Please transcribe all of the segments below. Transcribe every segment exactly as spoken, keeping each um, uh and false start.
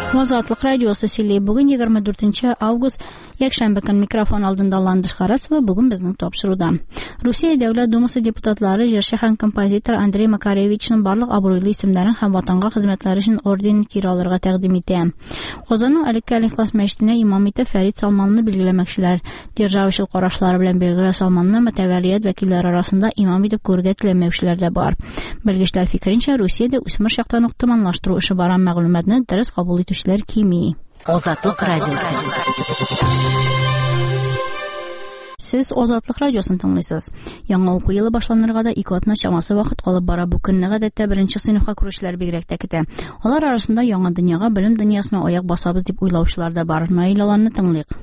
Азатлык радиосы сөйли. Бүген егерме дүртенче август, якшәмбе көн. Микрофон алдында Ландыш Харасова. Бүген безнең тапшыруда. Русия Дәүләт Думасы депутатлары җырчы һәм композитор Андрей Макаревичның барлык абруйлы исемнәрен һәм ватанга хезмәтләре өчен орден кире алырга тәкъдим итә. Казанның элекке Әл-Ихлас мәчетенә имам итеп Фәрид Салманны билгеләмәкчеләр. Державачыл карашлары белән билгеле Салманны мөтәвәлият вәкилләре арасында имам итеп күрергә теләмәүчеләр дә бар. Белгечләр фикеренчә, Русиядә үсмер чактан ук томанлаштыру эше бара, мәгълүматны дөрес кабул итүчеләр кими. Азатлык радиосы. Сез Азатлык радиосын тыңлыйсыз. Яңа уку елы башланырга да ике атна чамасы вакыт калып бара. Бу көнне гадәттә беренче сыйныфка керүчеләр бигрәк тә көтә. Алар арасында яңа дөньяга, белем дөньясына аяк басабыз дип уйлаучылар да бар. Наил Аланны тыңлыйк.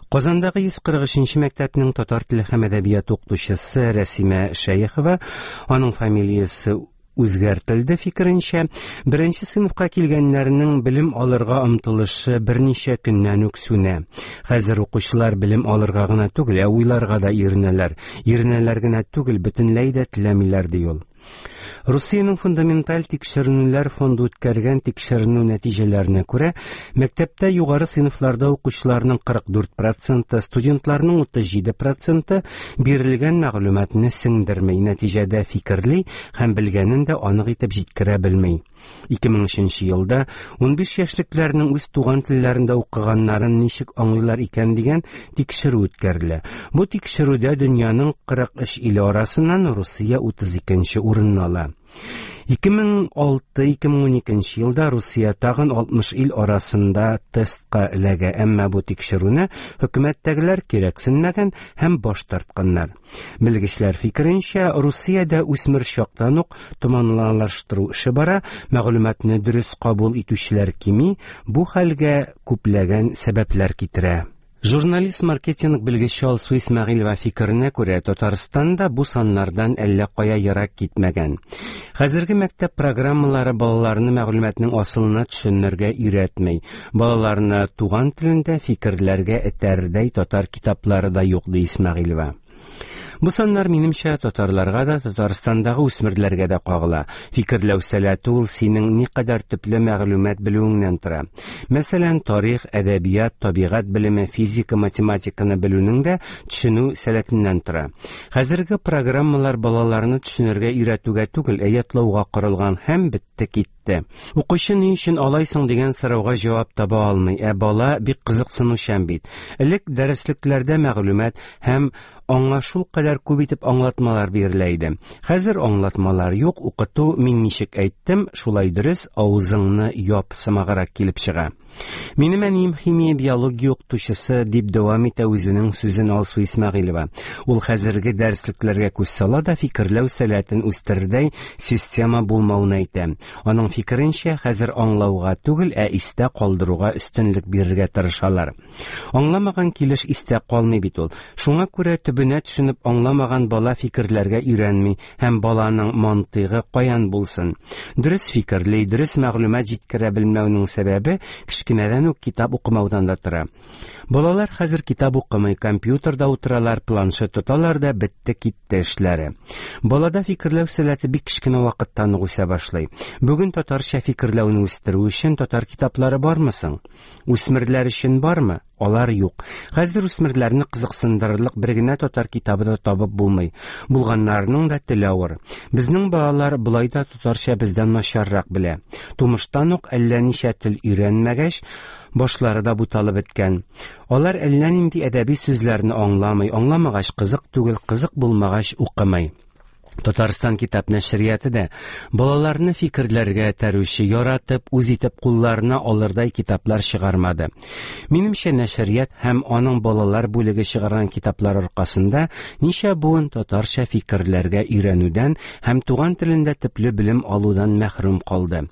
Казандагы йөз кырык өченче мәктәпнең татар теле һәм әдәбияты укытучысы Рәсимә Шәехова, аның фамилиясе үзгәртелде фикеренчә, беренче сыйныфка килгәннәрнең белем алырга омтылышы берничә көннән үк сүнә. Хәзер укучылар белем алырга гына түгел, ә уйларга да иренәләр. Иренәләр генә түгел, бөтенләй дә теләмиләр, ди ул. Русиянең фундаменталь тикшеренүләр фонды үткәргән тикшеренү нәтиҗәләренә күрә, мәктәптә югары сыйныфларда укучыларның кырык дүрт проценты, студентларның утыз җиде проценты бирелгән мәгълүматны сеңдерми, нәтиҗәдә фикерли һәм белгәнен дә анык итеп җиткерә белми. Ике мең өченче елда унбиш яшьлекләрнең үз туган телләрендә укыганнарын ничек аңлыйлар икән дигән тикшерү үткәрелә. Бу тикшерүдә дөньяның кырык өч иле арасыннан Русия утыз икенче урынны ала. Ике мең алты, ике мең уникенче елда Русия тагын алтмыш ил арасында тестка эләгә, әмма бу тикшерүне хөкүмәттәгеләр кирәксенмәгән һәм баш тартканнар. Белгечләр фикеренчә, Русиядә үсмер чактан ук томанлаштыру эше бара, мәгълүматны дөрес кабул итүчеләр кими, бу хәлгә күпләгән сәбәпләр китерә. Журналист маркетинг белгече Алсу Исмәгыйлева фикеренә күрә, Татарстанда бу саннардан әллә кая ерак китмәгән. Хәзерге мәктәп программалары балаларны мәгълүматның асылына төшенергә өйрәтми. Балаларны туган телендә фикерләргә этәрдәй татар китаплары да юк, ди Исмәгыйлева. Бу саннар минемчә татарларга да, Татарстандагы үсмерләргә дә кагыла. Фикерләү сәләте ул синең никадәр төпле мәгълүмат белүеңнән тора. Мәсәлән, тарих, әдәбият, табигать белеме, физика, математиканы белүнең дә төшенү сәләтеннән тора. Хәзерге программалар балаларны төшенергә өйрәтүгә түгел, ә ятлауга корылган һәм бетте китте. Укучы ни өчен алайсың дигән сорауга җавап таба алмый, ә бала бик кызыксынучан бит. Элек дәреслекләрдә мәгълүмат һәм аңа шул кадәр күп итеп аңлатмалар бирелә иде. Хәзер аңлатмалар юк, укыту мин ничек әйттем, шулай дөрес, авызыңны яп сымаграк килеп чыга. Минем әнием химия, биология укытучысы, дип дәвам итә үзенең сүзен Алсу Исмәгыйлева. Ул хәзерге дәреслекләргә күз сала да фикерләү сәләтен үстерердәй система булмавын әйтә. Аның фикеренчә, хәзер аңлауга түгел, ә истә калдыруга өстенлек бирергә тырышалар. Аңламаган килеш истә калмый бит ул. Шуңа күрә төбенә төшенеп аңламаган бала фикерләргә өйрәнми һәм баланың мантыйгы каян булсын. Дөрес фикерли, дөрес мәгълүмат җиткерә белмәүнең сәбәбе кечкенәдән үк китап укымаудан да тора. Балалар хәзер китап укымый, компьютерда утыралар, планшет тоталар да бетте китте эшләре. Балада фикерләү сәләте бик кечкенә вакыттан ук үсә башлый. Бүген татарча фикерләүне үстерү өчен татар китаплары бармы соң? Үсмерләр өчен бармы? Алар юк. Хәзер үсмерләрне кызыксындырырлык бер генә татар китабы да табып булмый. Булганнарының да теле авыр. Безнең балалар болай да татарча бездән начаррак белә. Тумыштан ук әллә ничә тел өйрәнмәгәч, башлары да буталып беткән. Алар әллә нинди әдәби сүзләрне аңламый, аңламагач кызык түгел, кызык булмагач укымый. Татарстан китап нәшрияты да балаларны фикерләргә этәрүче, яратып, үз итеп кулларына алырдай китаплар чыгармады. Минемчә, нәшрият һәм аның балалар бүлеге чыгарган китаплар аркасында ничә буын татарча фикерләргә өйрәнүдән һәм туган телендә төпле белем алудан мәхрүм калды.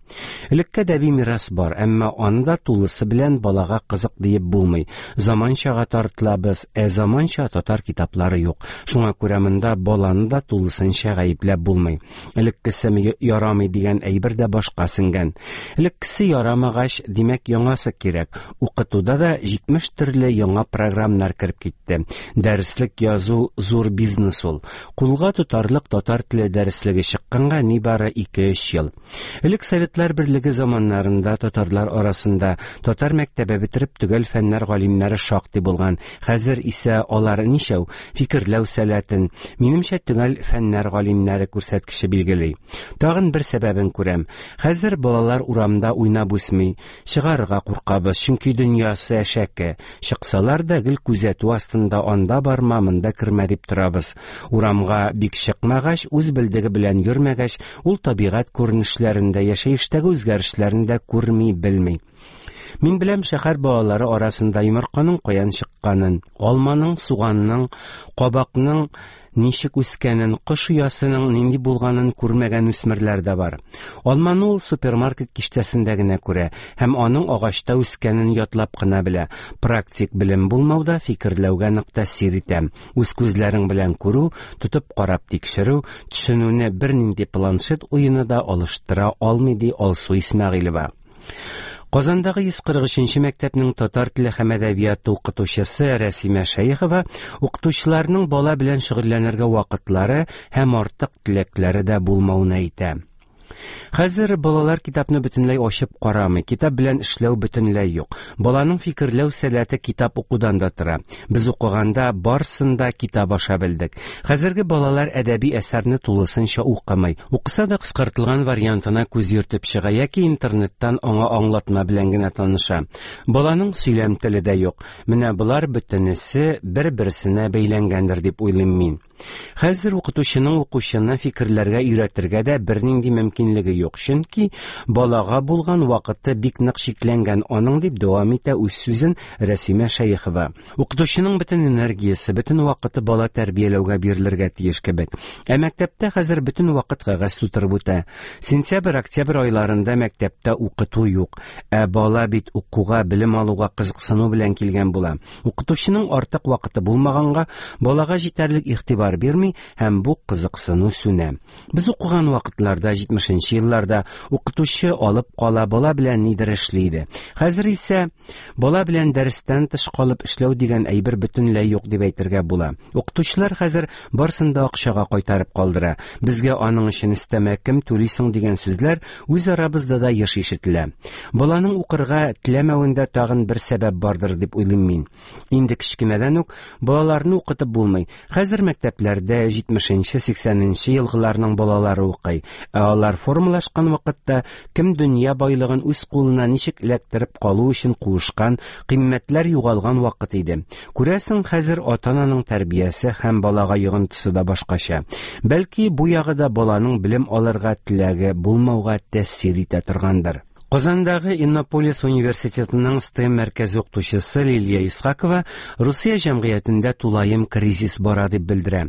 Элекке әдәби мирас бар, әмма аны да тулысы белән балага кызык диеп булмый. Заманчага тартылабыз, ә заманча татар китаплары юк. Шуңа күрә монда баланы да тулысынча минемчә, гаепләп булмый. Элеккесе ярамый дигән әйбер дә башка сеңгән. Элеккесе ярамагач, димәк, яңасы кирәк. Укытуда да җитмеш төрле яңа программалар кереп китте. Дәреслек язу зур бизнес ул. Кулга тотарлык татар теле дәреслеге чыкканга нибары ике-өч ел. Элек Советлар Берлеге заманнарында татарлар арасында татар мәктәбе бетереп төгәл фәннәр галимнәре шактый булган. Хәзер исә алар ничәү? Фикерләү сәләтен, минемчә, төгәл фәннәр галимнәре күрсәткече билгели. Тагын бер сәбәбен күрәм. Хәзер балалар урамда уйнап үсми. Чыгарырга куркабыз, чөнки дөньясы әшәке. Чыксалар да гел күзәтү астында, анда барма, монда кермә дип торабыз. Урамга бик чыкмагач, үз белдеге белән йөрмәгәч, ул табигать күренешләрен дә, яшәештәге үзгәрешләрен дә күрми, белми. Мин беләм, шәһәр балалары арасында йомырканың каян чыкканын, алманың, суганның, кабакның ничек үскәнен, кош оясының нинди булганын күрмәгән үсмерләр дә бар. Алманы ул супермаркет киштәсендә генә күрә һәм аның агачта үскәнен ятлап кына белә. Практик белем булмау да фикерләүгә нык тәэсир итә. Үз күзләрең белән күрү, тотып карап тикшерү, төшенүне бернинди планшет уены да алыштыра алмый, ди Алсу Исмәгыйлева. Казандагы йөз кырык өченче мәктәпнең татар теле һәм әдәбияты укытучысы Рәсимә Шәехова укытучыларның бала белән шөгыльләнергә вакытлары һәм артык теләкләре дә булмавын әйтә. Хәзер балалар китапны бөтенләй ачып карамый, китап белән эшләү бөтенләй юк. Баланың фикерләү сәләте китап укудан да тора. Без укыганда барысын да китап аша белдек. Хәзерге балалар әдәби әсәрне тулысынча укымый. Укыса да кыскартылган вариантына күз йөртеп чыга яки интернеттан аңа аңлатма белән генә таныша. Баланың сөйләм теле дә юк. Менә болар бөтенесе бер-берсенә бәйләнгәндер дип уйлыйм мин. Хәзер укытучының укучыны фикерләргә өйрәтергә дә бернинди мөмкинлеге юк, чөнки балага булган вакыты бик нык чикләнгән аның, дип дәвам итә үз сүзен Рәсимә Шәехова. Укытучының бөтен энергиясе, бөтен вакыты бала тәрбияләүгә бирелергә тиеш кебек. Ә мәктәптә хәзер бөтен вакыт кәгазь тутырып үтә. Сентябрь-октябрь айларында мәктәптә укыту юк. Ә бала бит укуга, белем алуга кызыксыну белән килгән була. Укытучының артык вакыты булмаганга балага җитәрлек игътибар бирми һәм бу кызыксыну сүнә. Без укыган вакытларда, җитмешенче елларда укытучы алып кала, бала белән нидер эшли иде. Хәзер исә бала белән дәрестән тыш калып эшләү дигән әйбер бөтенләй юк дип әйтергә була. Укытучылар хәзер барысын да акчага кайтарып калдыра. Безгә аның өчен өстәмә кем түлисең дигән сүзләр үз арабызда да еш ишетелә. Баланың укырга теләмәвендә тагын бер сәбәп бардыр дип уйлыйм мин. Инде кечкенәдән үк балаларны укытып булмый. Хәзер мәктәпләрдә җитмешенче, сиксәненче елгыларның балалары укый. Ә алар формалашкан вакытта кем дөнья байлыгын үз кулына ничек эләктереп калу өчен куышкан, кыйммәтләр югалган вакыт иде. Күрәсең, хәзер ата-ананың тәрбиясе һәм балага йогынтысы да башкача. Бәлки бу ягы да баланың белем алырга теләге булмауга тәэсир итә торгандыр. Казандагы Иннополис университетының STEM мәркәзе укытучысы Лилия Исхакова Русия җәмгыятендә тулаем кризис бара дип белдерә.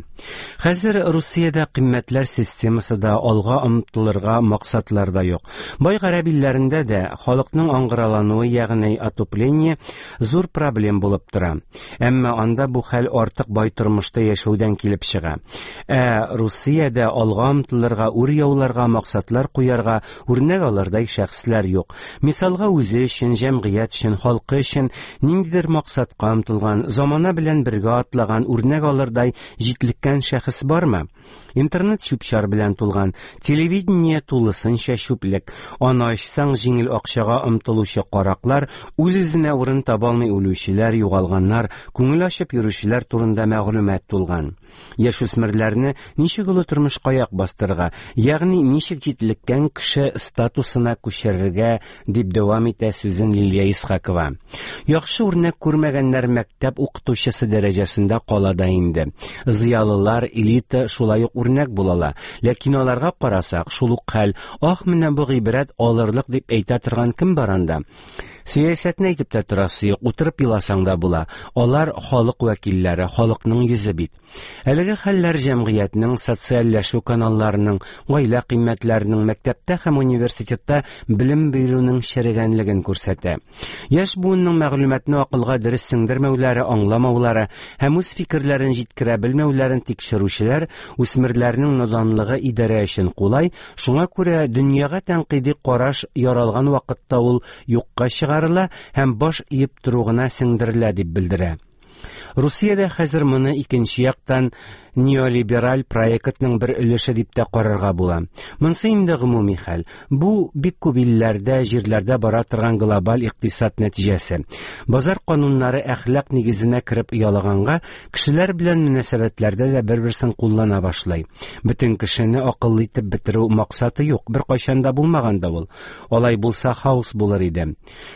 Хәзер Русиядә кыйммәтләр системасы да, алга омтылырга максатлар да юк. Бай гарәп илләрендә дә халыкның аңгыралануы, ягъни отупление, зур проблем булып тора. Әмма анда бу хәл артык бай тормышта яшәүдән килеп чыга. Ә Русиядә алга омтылырга, үр яуларга, максатлар куярга үрнәк алырдай шәхесләр юк. Мисалга, үзе өчен, җәмгыять өчен, халкы өчен ниндидер максатка омтылган, замана белән бергә атлаган, үрнәк алырдай җитлеккән шәхес бармы? Интернет чүп-чар белән тулган, телевидение тулысынча чүплек. Аны ачсаң, җиңел акчага омтылучы караклар, үз-үзенә урын таба алмый үлүчеләр, югалганнар, күңел ачып йөрүчеләр турында мәгълүмат тулган. Яшүсмерләрне ничек олы тормышка аяк бастырырга, ягъни ничек җитлеккән кеше статусына күчерергә, дип дәвам итә сүзен Лилия Исхакова. Яхшы үрнәк күрмәгәннәр мәктәп укытучысы дәрәҗәсендә кала да инде. Зыялылар, элита шулай ук үрнәк булала. Ләкин аларга карасак, шул ук хәл, ах, менә бу гыйбрәт алырлык дип әйтә торган кем бар анда? Сәясәтне әйтеп тә торасы юк, утырып еласаң да була. Алар халык вәкилләре, халыкның йөзе бит. Әлеге хәлләр җәмгыятьнең социальләшү каналларының, гаилә кыйммәтләренең, мәктәптә һәм университетта белем бирүнең черегәнлеген күрсәтә. Яшь буынның мәгълүматны акылга дөрес сеңдермәүләре, аңламаулары һәм үз фикерләрен җиткерә белмәүләрен тикшерүчеләр үсмерләрнең наданлыгы идарә өчен кулай, шуңа күрә дөньяга тәнкыйди караш яралган вакытта ул юкка чыгарыла һәм баш иеп тору гына сеңдерелә дип белдерә. Русиядә хәзер моны икенче яктан неолибераль проектның бер өлеше дип тә карарга була. Монсы инде гомуми хәл. Бу бик күп илләрдә, җирләрдә бара торган глобаль икътисад нәтиҗәсе. Базар кануннары әхлак нигезенә кереп оялаганга, кешеләр белән мөнәсәбәтләрдә дә бер-берсен куллана башлый. Бөтен кешене акыллы итеп бетерү максаты юк, беркайчан да булмаган да ул. Алай булса хаос булыр иде.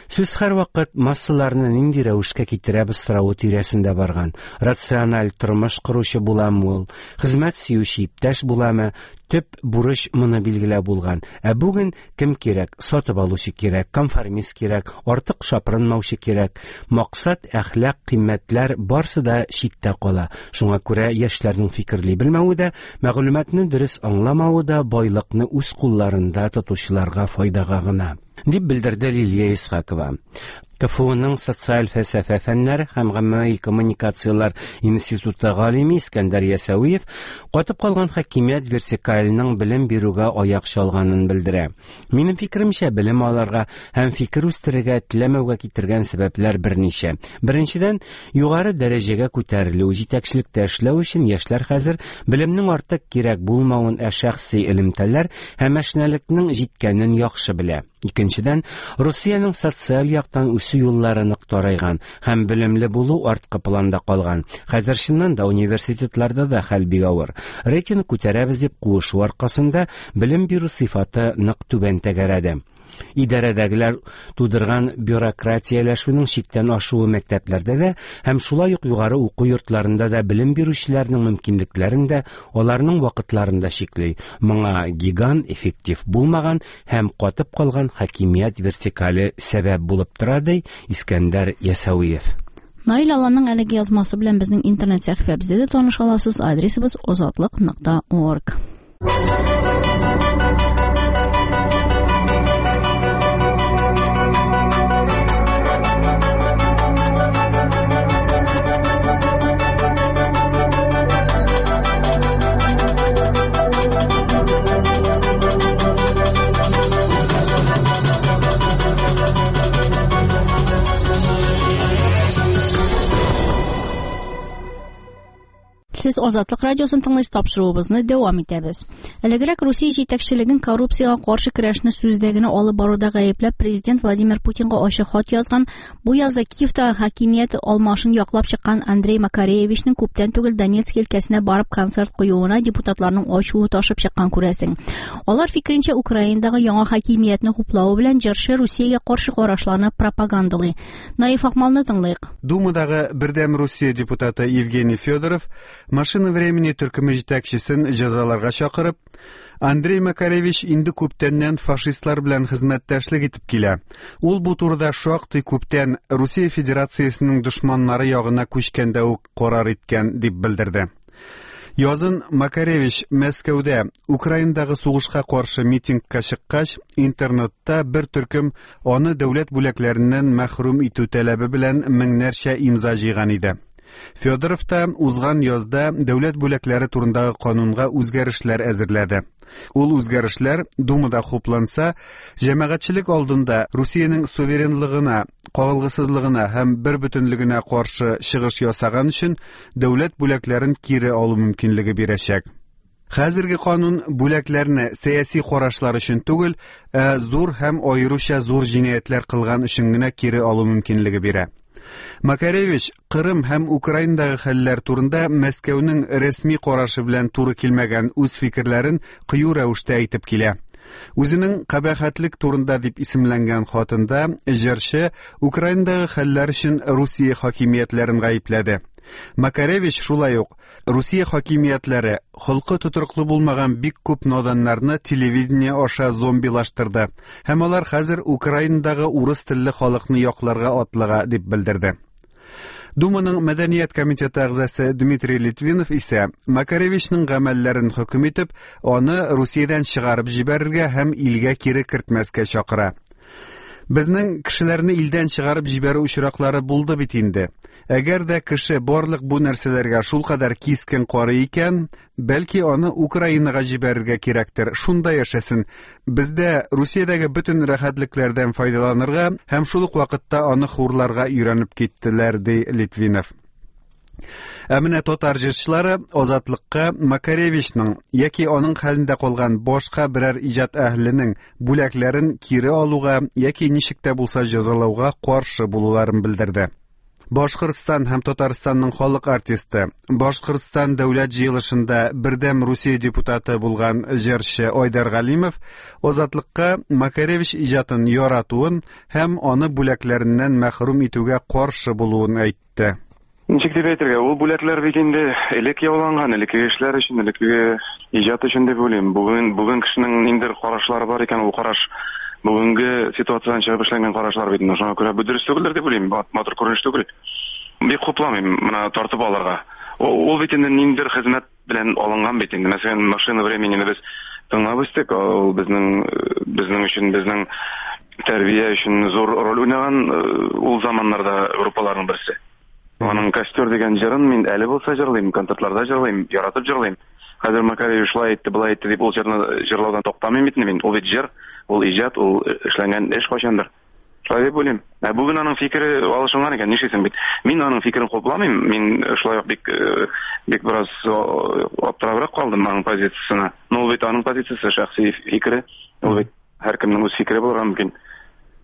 Сүз һәрвакыт массаларны нинди рәвешкә китерәбез соравы тирәсендә барган. Рациональ тормыш коручы буламы ул, хезмәт сөюче иптәш буламы, төп бурыч моны билгеләп булган. Ә бүген кем кирәк? Сатып алучы кирәк, конформист кирәк, артык шапырынмаучы кирәк. Максат, әхлак, кыйммәтләр барсы да читтә кала. Шуңа күрә яшьләрнең фикерли белмәве дә, мәгълүматны дөрес аңламавы да байлыкны үз кулларында тотучыларга файдага гына, дип белдерде Лилия Исхакова. КФУның социаль фәлсәфә фәннәре һәм гаммәви коммуникацияләр институты галиме Искәндәр Ясәвиев катып калган хакимият вертикаленең белем бирүгә аяк чалганын белдерә. Минем фикеремчә, белем алырга һәм фикер үстерергә теләмәүгә китергән сәбәпләр берничә. Беренчедән, югары дәрәҗәгә күтәрелү, җитәкчелектә эшләү өчен яшьләр хәзер белемнең артык кирәк булмавын, ә шәхси элемтәләр һәм әшнәлекнең җиткәнен яхшы белә. Икенчедән, Русиянең социаль яктан үсү юллары нык тарайган һәм белемле булу арткы планда калган. Хәзер чыннан да университетларда да хәл бик авыр. Рейтинг күтәрәбез дип куышу аркасында белем бирү сыйфаты нык түбән тәгәрәде. Идарәдәгеләр тудырган бюрократияләшүнең чиктән ашуы мәктәпләрдә дә һәм шулай ук югары уку йортларында да белем бирүчеләрнең мөмкинлекләрен дә, аларның вакытларын да чикли. Моңа гигант, эффектив булмаган һәм катып калган хакимият вертикале сәбәп булып тора, ди Искәндәр Ясәвиев. Наил Алланың әлеге язмасы белән безнең интернет сәхифәбездә дә таныша аласыз. Адресыбыз озатлык нокта орг. Сез Азатлык радиосын тыңлыйсыз, тапшыруыбызны дәвам итәбез. Элегрәк Русия җитәкчелеген коррупциягә каршы көрәшне сүздә генә алып баруда гаепләп президент Владимир Путинга ачык хат язган, бу язда Киевта хакимият алмашын яклап чыккан Андрей Макаревичның күптән түгел Донецк өлкәсенә барып концерт куюына депутатларның ачуы ташып чыккан күрәсең. Алар фикеренчә, Украинадагы яңа хакимиятне хуплавы белән җырчы Русиягә каршы карашларны пропагандалый. Наиф Акмалны тыңлыйк. Думадагы Бердәм Русия депутаты Евгений Федоров Машина времени төркеме җитәкчесен җәзаларга чакырып, Андрей Макаревич инде күптәннән фашистлар белән хезмәттәшлек итеп килә. Ул бу турыда шактый күптән Русия Федерациясенең дошманнары ягына күчкәндә үк карар иткән дип белдерде. Язын Макаревич Мәскәүдә Украинадагы сугышка каршы митингка чыккач, интернетта бер төркем аны дәүләт бүләкләреннән мәхрүм итү таләбе белән меңнәрчә имза җыйган иде. Федоров та узган язда дәүләт бүләкләре турындагы канунга үзгәрешләр әзерләде. Ул үзгәрешләр Думада хупланса, җәмәгатьчелек алдында Русиянең суверенлыгына, кагылгысызлыгына һәм бербөтенлегенә каршы чыгыш ясаган өчен дәүләт бүләкләрен кире алу мөмкинлеге бирәчәк. Хәзерге канун бүләкләрне сәяси карашлар өчен түгел, ә зур һәм аеруча зур җинаятьләр кылган өчен генә кире алу мөмкинлеге бирә. Макаревич Кырым һәм Украинадагы хәлләр турында Мәскәүнең рәсми карашы белән туры килмәгән үз фикерләрен кыю рәвештә әйтеп килә. Үзенең кабахәтлек турында дип исемләнгән хатында җырчы Украинадагы хәлләр өчен Русия хакимиятләрен гаепләде. Макаревич шулай ук Русия хакимиятләре холкы тотрыклы булмаган бик күп наданнарны телевидение аша зомбилаштырды һәм алар хәзер Украинадагы урыс телле халыкны якларга атлыга дип белдерде. Думаның мәдәният комитеты әгъзасы Дмитрий Литвинов исә Макаревичның гамәлләрен хөкем итеп, аны Русиядән чыгарып җибәрергә һәм илгә кире кертмәскә чакыра. Безнең кешеләрне илдән чыгарып җибәрү очраклары булды бит инде. Әгәр дә кеше барлык бу нәрсәләргә шулкадәр кискен карый икән, бәлки аны Украинага җибәрергә кирәктер. Шунда яшәсен. Бездә Русиядәге бөтен рәхәтлекләрдән файдаланырга һәм шул ук вакытта аны хурларга өйрәнеп киттеләр, ди Литвинов. Ә менә татар җырчылары Азатлыкка Макаревичның яки аның хәлендә калган башка берәр иҗат әһленең бүләкләрен кире алуга яки ничек тә булса җәзалауга каршы булуларын белдерде. Башкортстан һәм Татарстанның халык артисты, Башкортстан дәүләт җыелышында Бердәм Русия депутаты булган җырчы Айдар Галимов Азатлыкка Макаревич иҗатын яратуын һәм аны бүләкләреннән мәхрүм итүгә каршы булуын әйтте. Ничек дип әйтергә, ул бүләкләр бит инде элек яуланган, элеккеге эшләр өчен, элеккеге иҗат өчен дип уйлыйм. Бүген бүген кешенең ниндидер карашлары бар икән, ул караш бүгенге ситуациядән чыгып эшләнгән карашлар бит инде. Шуңа күрә бу дөрес түгелдер дип уйлыйм, матур күренеш түгел. Бик хупламыйм моны тартып алырга. Ул бит инде ниндидер хезмәт белән алынган бит инде. Мәсәлән, машина времени без тыңлап үстек, ул безнең безнең өчен, безнең тәрбия өчен зур роль уйнаган ул заманнарда группаларның берсе. Аның «Костер» дигән җырын мин әле булса җырлыйм, концертларда җырлыйм, яратып җырлыйм. Хәзер Макаревич шулай әйтте, былай әйтте дип ул җырны җырлаудан туктамыйм бит мин. Ул бит җыр, ул иҗат, ул эшләнгән эш кайчандыр. Шулай дип уйлыйм. Ә бүген аның фикере алышынган икән, нишлисең бит? Мин аның фикерен хупламыйм. Мин шулай ук бик бик бераз аптырабрак калдым аның позициясенә. Но ул бит аның позициясе, шәхси фикере. Ул бит һәркемнең үз фикере булырга мөмкин.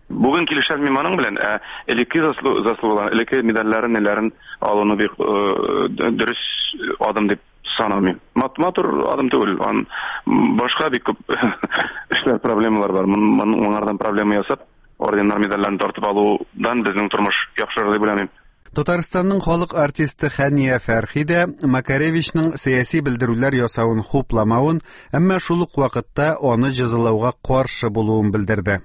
Бүген килешәм мин аның белән, ә элекке заслугалар, элекке медальләрен, неләрен алуны бик дөрес адым дип санамыйм. Матур адым түгел, ан башка бик күп эшләр, проблемалар бар. Моңардан проблема ясап, орденнар, медальләрне тартып алудан безнең тормыш яхшырыр дип уйламыйм. Татарстанның халык артисты Хәния Фәрхи дә Макаревичның сәяси белдерүләр ясавын хупламавын, әмма шул ук вакытта аны җәзалауга каршы булуын белдерде.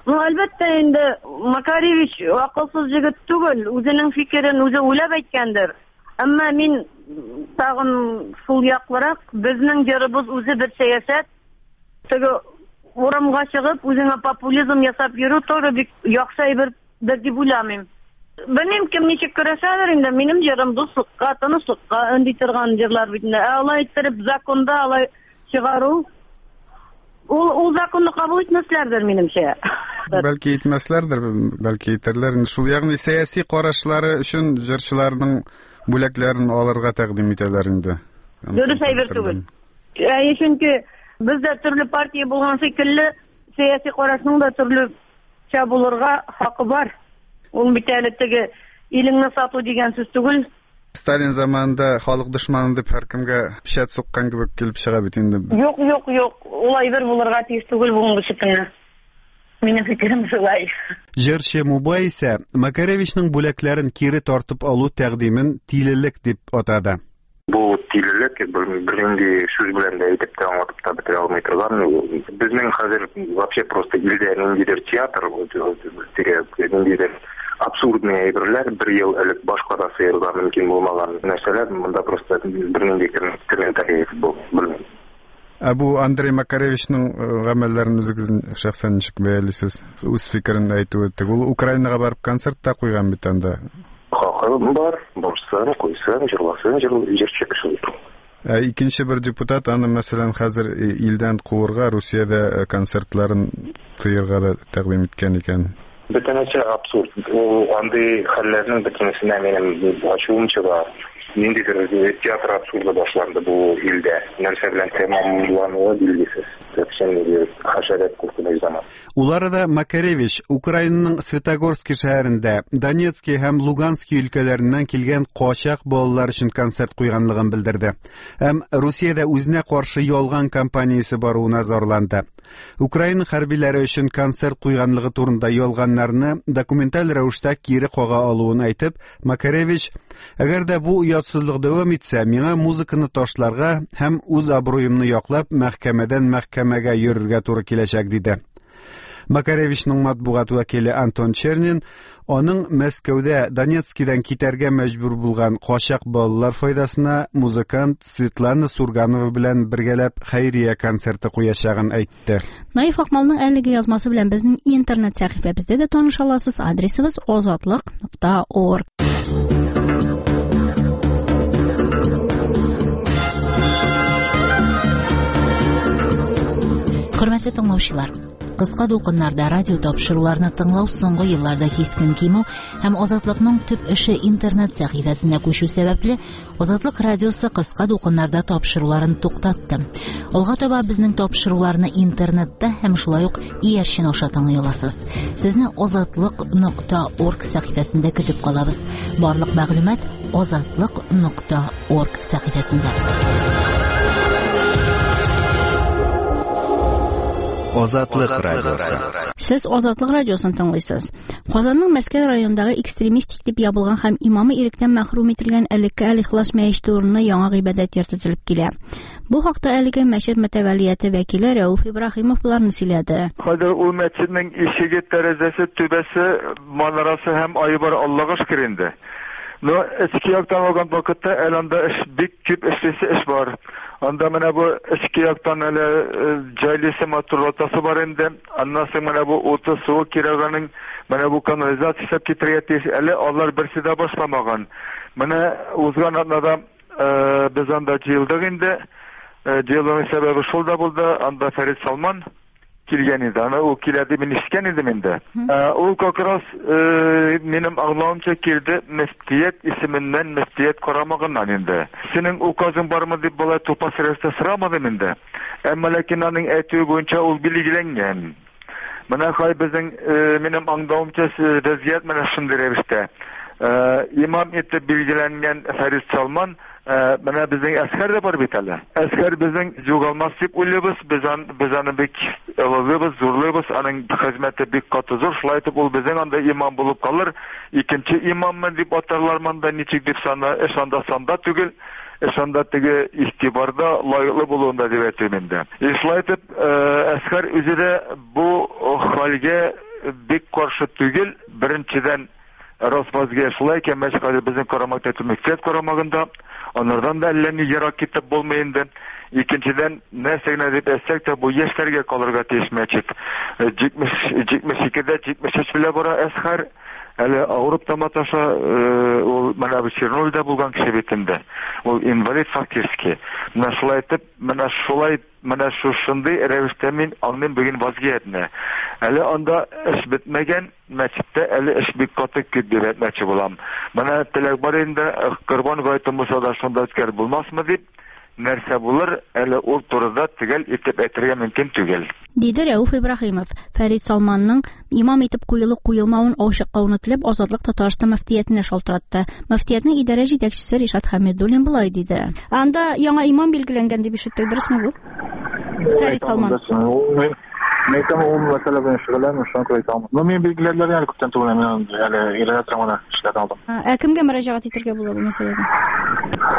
Ну, әлбәттә инде Макаревич акылсыз егет түгел, үзенең фикерен үзе уйлап әйткәндер. Әмма мин тагын шул яклырак, безнең җырыбыз үзе бер сәясәт. Теге урамга чыгып, үзеңә популизм ясап йөрү тоже бик яхшы әйбер дип уйламыйм. Белмим, кем ничек көрәшәдер инде, минем җырым дуслыкка, тынычлыкка өнди торган җырлар бит инде. Ә алай иттереп законда алай чыгару, ул ул законны кабул итмәсләрдер минемчә. Бәлки итмәсләрдер, бәлки итәрләр. Шул ягъни сәяси карашлары өчен җырчыларның бүләкләрен алырга тәкъдим итәләр инде. Дөрес әйбер түгел. Әйе, чөнки бездә төрле партия булган шикелле, сәяси карашның да төрлечә булырга хакы бар. Ул бит әле теге илеңне сату дигән сүз түгел. Сталин заманында халык дошманы дип һәркемгә печать суккан кебек килеп чыга бит инде. Юк, юк, юк, ул әйбер булырга тиеш түгел бүгенге көндә. Минем фикерем шулай. Җырчы Мубай исә Макаревичның бүләкләрен кире тартып алу тәкъдимен тилелек дип атады. Бу тилелек бернинди сүз белән дә әйтеп тә аңлатып та бетерә алмый торган. Безнең хәзер вообще просто илдә ниндидер театр, теге ниндидер абсурдный әйберләр, бер ел элек башка да сыерга мөмкин булмаган нәрсәләр, монда просто бернинди комментарий белмим. Ә бу Андрей Макаревичның гамәлләрен үзегез шәхсән ничек бәялисез? Үз фикерен әйтүе. Ул Украинага барып концерт та куйган бит анда. Хакы бар, барсын, куйсын, җырласын, җырчы кеше бит. Ә икенче бер депутат аны, мәсәлән, хәзер илдән куырга, Русиядә концертларын тыярга да тәкъдим иткән икән. Бөтенесе абсурд. Ул андый хәлләрнең бөтенесенә минем ачуым чыга. Ниндидер театр абсурды башланды бу илдә. Нәрсә белән тәмамлануы билгесез. Вообще хәшәрәт куркыныч заман. Ул арада Макаревич Украинаның Светогорский шәһәрендә Донецкий һәм Луганский өлкәләреннән килгән качак балалар өчен концерт куйганлыгын белдерде. Һәм Русиядә үзенә каршы ялган кампаниясе баруына зарланды. Украина хәрбиләре өчен концерт куйганлыгы турында ялганнарны документаль рәвештә кире кага алуын әйтеп, Макаревич: "Әгәр дә бу оятсызлык дәвам итсә, миңа музыканы ташларга һәм үз абруемны яклап мәхкәмәдән мәхкәмәгә йөрергә туры киләчәк", диде. Макаревичның матбугат вәкиле Антон Чернин аның Мәскәүдә Донецкидан китәргә мәҗбүр булган качак балалар файдасына музыкант Светлана Сурганова белән бергәләп хәйрия концерты куячагын әйтте. Наиф Акмалның әлеге язмасы белән безнең интернет сәхифәбездә дә таныша аласыз. Адресыбыз озатлык нокта орг. Хөрмәтле тыңлаучылар, кыска дулкыннарда радио тапшыруларны тыңлау соңгы елларда кискен кимү һәм Азатлыкның төп эше интернет сәхифәсенә күчү сәбәпле, Азатлык радиосы кыска дулкыннарда тапшыруларын туктатты. Алга таба безнең тапшыруларны интернетта һәм шулай ук иярчен аша тыңлый аласыз. Сезне озатлык нокта орг сәхифәсендә көтеп калабыз. Барлык мәгълүмат озатлык нокта орг сәхифәсендә. Азатлык радиосы. Сез Азатлык радиосын тыңлыйсыз. Казанның Мәскәү районындагы экстремистик дип ябылган һәм имамы иректән мәхрүм ителгән элекке Әл-Ихлас мәчете урынына яңа гыйбадәт йорты төзелеп килә. Бу хакта әлеге мәчет мөтәвәлияте вәкиле Рәүф Ибраһимов боларны сөйләде. Хәзер ул мәчетнең ишеге, тәрәзәсе, түбәсе, манарасы һәм айы бар, Аллага шөкер инде. Но эчке яктан алган вакытта әле анда эш бик күп эшлисе эш бар. Анда менә бу эчке яктан әле җайлысы матурлатасы бар инде. Аннан соң менә бу уты, суы кирәк аның, менә бу канализация эшләп китергә тиеш. Әле алар берсе дә башламаган. Менә узган атнада без анда җыелдык инде. Җыелуның сәбәбе шул да булды. Анда Фәрит Салман килгән иде. Аны ул килә дип мин ишеткән идем инде. Ул как раз минем аңлавымча килде мөфтият исеменнән, мөфтият карамагыннан инде. Синең указың бармы дип болай тупас рәвештә сорамадым инде. Әмма ләкин аның әйтүе буенча ул билгеләнгән. Менә хай безнең минем аңлавымча вазгыять менә шундый рәвештә. Имам итеп билгеләнгән Фәрит Салман, менә безнең Әсхәр дә бар бит әле. Әсхәр безнең югалмас дип уйлыйбыз, без аны, без аны бик олылыйбыз, зурлыйбыз, аның хезмәте бик каты зур. Шулай итеп ул безнең анда имам булып калыр. Икенче имаммын дип атарлар монда, ничек дип сана, эш анда санда түгел, эш анда теге игътибарда лаеклы булуында дип әйтәм инде. Шулай итеп Әсхәр үзе дә бу хәлгә бик каршы түгел. Беренчедән, Росвазгә шулай икән, мәчет хәзер безнең карамакта, мөфтият карамагында, анардан да әллә ни ерак китеп булмый инде. Икенчедән, нәрсә генә дип әйтсәк тә, бу яшьләргә калырга тиеш мәчет. Җитмеш, җитмеш икедә, җитмеш өч белә бара Әсхәр. Әле авырып та маташа, ул менә бу Чернобыльдә булган кеше бит инде. Ул инвалид фактически. Менә шулай итеп, менә шулай, менә шушындый рәвештә мин аңлыйм бүген вазгыятьне. Әле анда эш бетмәгән, мәчеттә әле эш бик каты күп дип әйтмәкче булам. Менә теләк бар инде, Корбан гаете булса да шунда үткәреп булмасмы дип, нәрсә булыр, әле ул турыда төгәл итеп әйтергә мөмкин түгел. Диде Рәүф Ибраһимов. Фәрит Салманның имам итеп куелып куелмавын ачыклауны теләп Азатлык Татарстан мөфтиятенә шалтыратты. Мөфтиятнең идарә җитәкчесе Ришат Хәмидуллин болай диде. Анда яңа имам билгеләнгән дип ишеттек, дөресме бу? Фәрит Салман. Мин әйтәм, ул мәсьәлә белән шөгыльләнмим, шуңа күрә әйтә алмыйм. Но мин билгеләделәр әле күптән түгел, мин әле өйрәнә торам гына эшләрне алдым. Ә кемгә мөрәҗәгать итәргә була бу мәсьәләдә?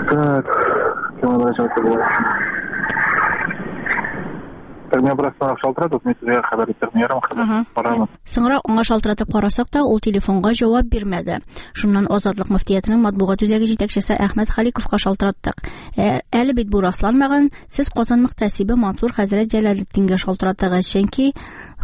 Так, кемгә мөрәҗәгать итәргә була? Так, мин бераз соңрак шалтыратып, мин сезгә хәбәр итермен, ярым хәбәр. Карармын. Соңрак аңа шалтыратып карасак та, ул телефонга җавап бирмәде. Шуннан Азатлык мөфтиятенең матбугат үзәге җитәкчесе Әхмәт Халиковка шалтыраттык. Әле бит бу расланмаган, сез Казан мөхтәсибе Мансур хәзрәт Җәләлетдингә шалтыратыгыз, чөнки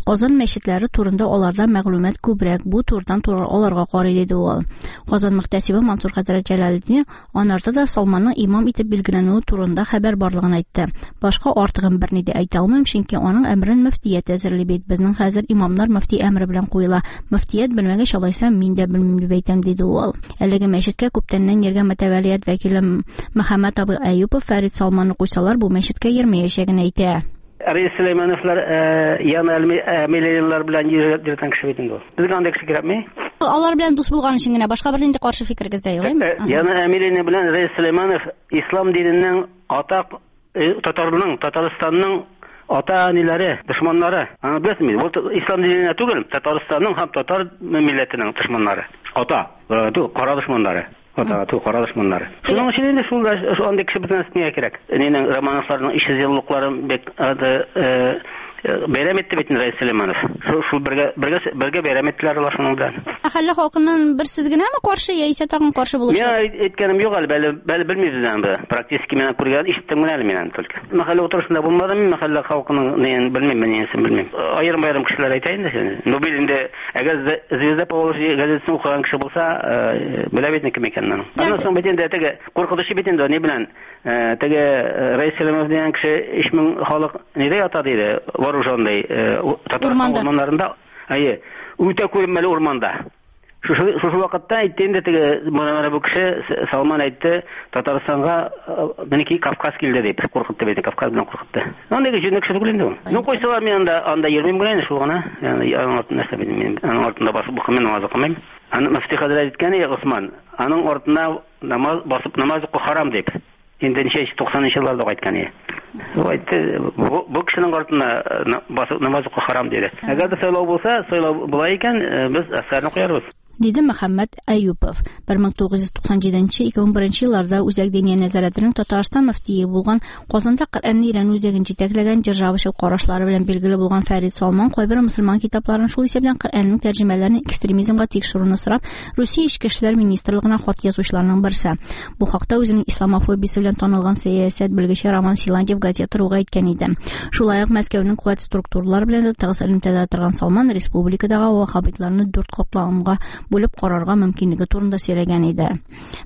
Казан мәчетләре турында аларда мәгълүмат күбрәк, бу турыдан туры аларга карый, диде ул. Казан мөхтәсибе Мансур хәзрәт Җәләлетдин анарда да Салманның имам итеп билгеләнүе турында хәбәр барлыгын әйтте. Башка артыгын берни дә әйтә алмыйм, чөнки аның әмрен мөфтият әзерли бит. Безнең хәзер имамнар мөфти әмре белән куела. Мөфтият белмәгәч, алайса мин дә белмим дип әйтәм, диде ул. Әлеге мәчеткә күптәннән йөргән мөтәвәлият вәкиле Мөхәммәт абый Әюпов Фәрит Салманны куйсалар, бу мәчеткә йөрмәячәген әйтә. Рәис Сөләймановлар яна миллионерлар белән йөргән кеше бит инде ул. Безгә андый кеше кирәкме? Алар белән дус булган өчен генә, башка бернинди каршы фикерегез дә юк, әйме? Яна Әмилина белән Рәис Сөләйманов ислам диненең атак татарның, Татарстанның ата-әниләре, дошманнары. Аны беләсезме? Бу ислам диненә түгел, Татарстанның һәм татар милләтенең дошманнары. Ата, кара дошманнары. Ата, ту кара дошманнары. Шуның өчен инде шул андый кеше безгә нигә кирәк? Нинең Романовларның өч йөз еллыкларын бик бәйрәм итте бит Рәис Сөләйманов. Шул, шул бергә, бергә, бергә бәйрәм иттеләр алар шуның белән. Мәхәллә халкыннан бер сез генәме каршы, яисә тагын каршы булучылар? Мин әйткәнем юк әле, әле, әле белмибез инде. Практически мин күргән, ишеттем генә әле мин только. Мәхәллә утырышында булмадым, мин мәхәллә халкының нен белмим, мин несен белмим. Аерым-аерым кешеләр әйтә инде. Ну бит инде, әгәр Звезда Поволжья газетасын укыган кеше булса, белә бит кем икәнен аның. Аннан соң бит инде теге куркытучы бит инде ни белән, теге Рәис Сөләйманов дигән кеше өч мең халык нидә ята диде, вооруженный татар урманнарында, әйе, үтә күренмәле урманда. Шушы, шушы вакытта әйтте инде теге менә бу кеше Салман әйтте, Татарстанга меники Кавказ килде дип куркытты бит, Кавказ белән куркытты. Андый җүнле кеше түгел инде ул. Ну куйсалар мин анда анда йөрмим генә инде шул гына. Ягъни аның артында нәрсә бит мин аның артында басып укымыйм, намаз укымыйм. Аны мөфти хәзрәт әйткән, Госман, аның артына намаз басып намаз уку харам дип. Инде ничә туксанынчы елларда кайткан иде. Ул әйтте, бу, бу кешенең артына басып намаз уку харам диде. Әгәр дә сайлау булса, сайлау була икән, без әскәрне куярбыз. Диде Мөхәммәт Әюпов. бер мең тугыз йөз туксан җиденче ике мең беренче елларда Үзәк Диния нәзарәтенең Татарстан мөфтие булган, Казанда Коръәнне өйрәнү үзәген җитәкләгән, державачыл карашлары белән билгеле булган Фәрид Салман кайбер мөселман китапларын, шул исәптән Коръәннең тәрҗемәләрен экстремизмга тикшерүне сорап, Русия Эчке эшләр министрлыгына хат язучыларның берсе. Бу хакта үзенең исламофобиясе белән танылган сәясәт белгече Роман Силантьев газета руга әйткән иде. Шулай ук Мәскәүнең куәт структуралары белән дә тыгыз элемтәдә торган Салман республикадагы ваххабитларны дүрт катламга бүлеп карарга мөмкинлеге турында сөйләгән иде.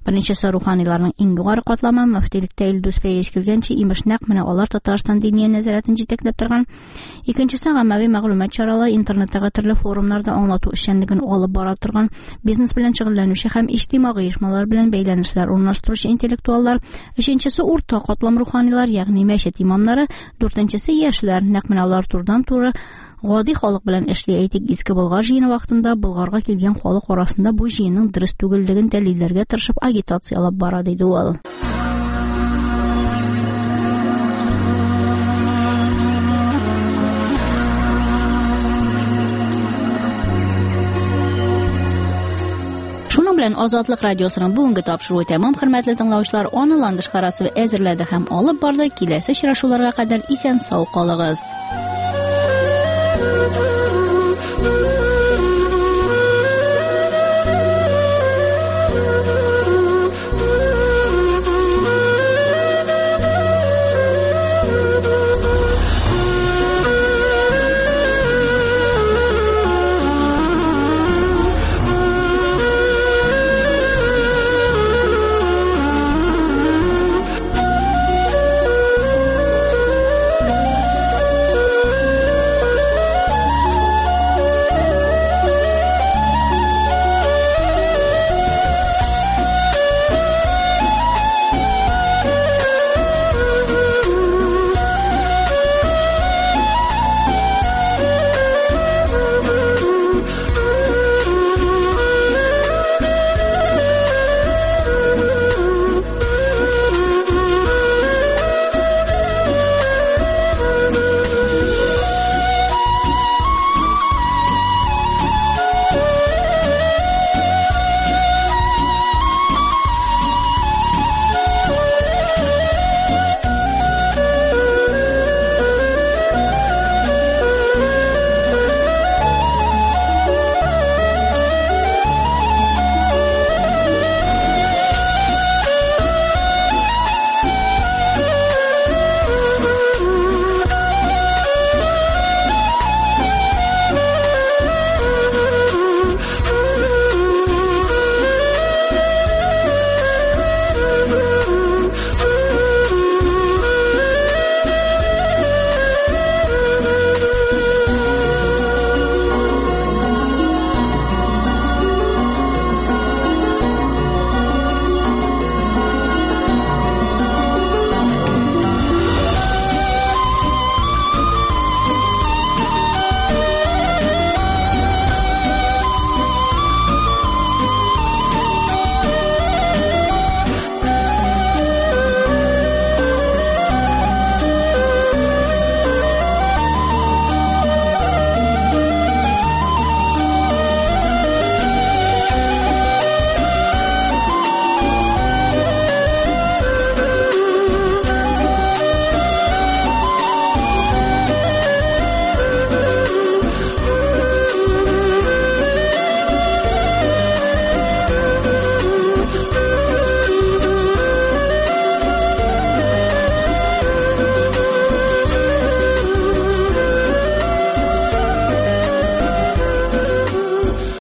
Беренчесе руханиларның иң югары катламы, мөфтилектә Илдус Фәйз килгәнче, имеш нәкъ менә алар Татарстан Диния нәзарәтен җитәкләп торган. Икенчесе гаммәви мәгълүмат чаралары, интернеттагы төрле форумнарда аңлату эшчәнлеген алып бара торган, бизнес белән шөгыльләнүче һәм иҗтимагый оешмалар белән бәйләнешләр урнаштыручы интеллектуаллар. Өченчесе урта катлам руханилар, ягъни мәчет имамнары. Дүртенчесе яшьләр, нәкъ менә алар турыдан-туры гади халык белән эшли. Әйтик, Иске Болгар җыены вакытында Болгарга килгән халык арасында бу җыенның дөрес түгеллеген дәлилләргә тырышып агитация алып бара, диде ул. Шуның белән Азатлык радиосының бүгенге тапшыруы тәмам. Хөрмәтле тыңлаучылар, аны Ландыш Харасова әзерләде һәм алып барды. Киләсе очрашуларга кадәр исән сау калыгыз.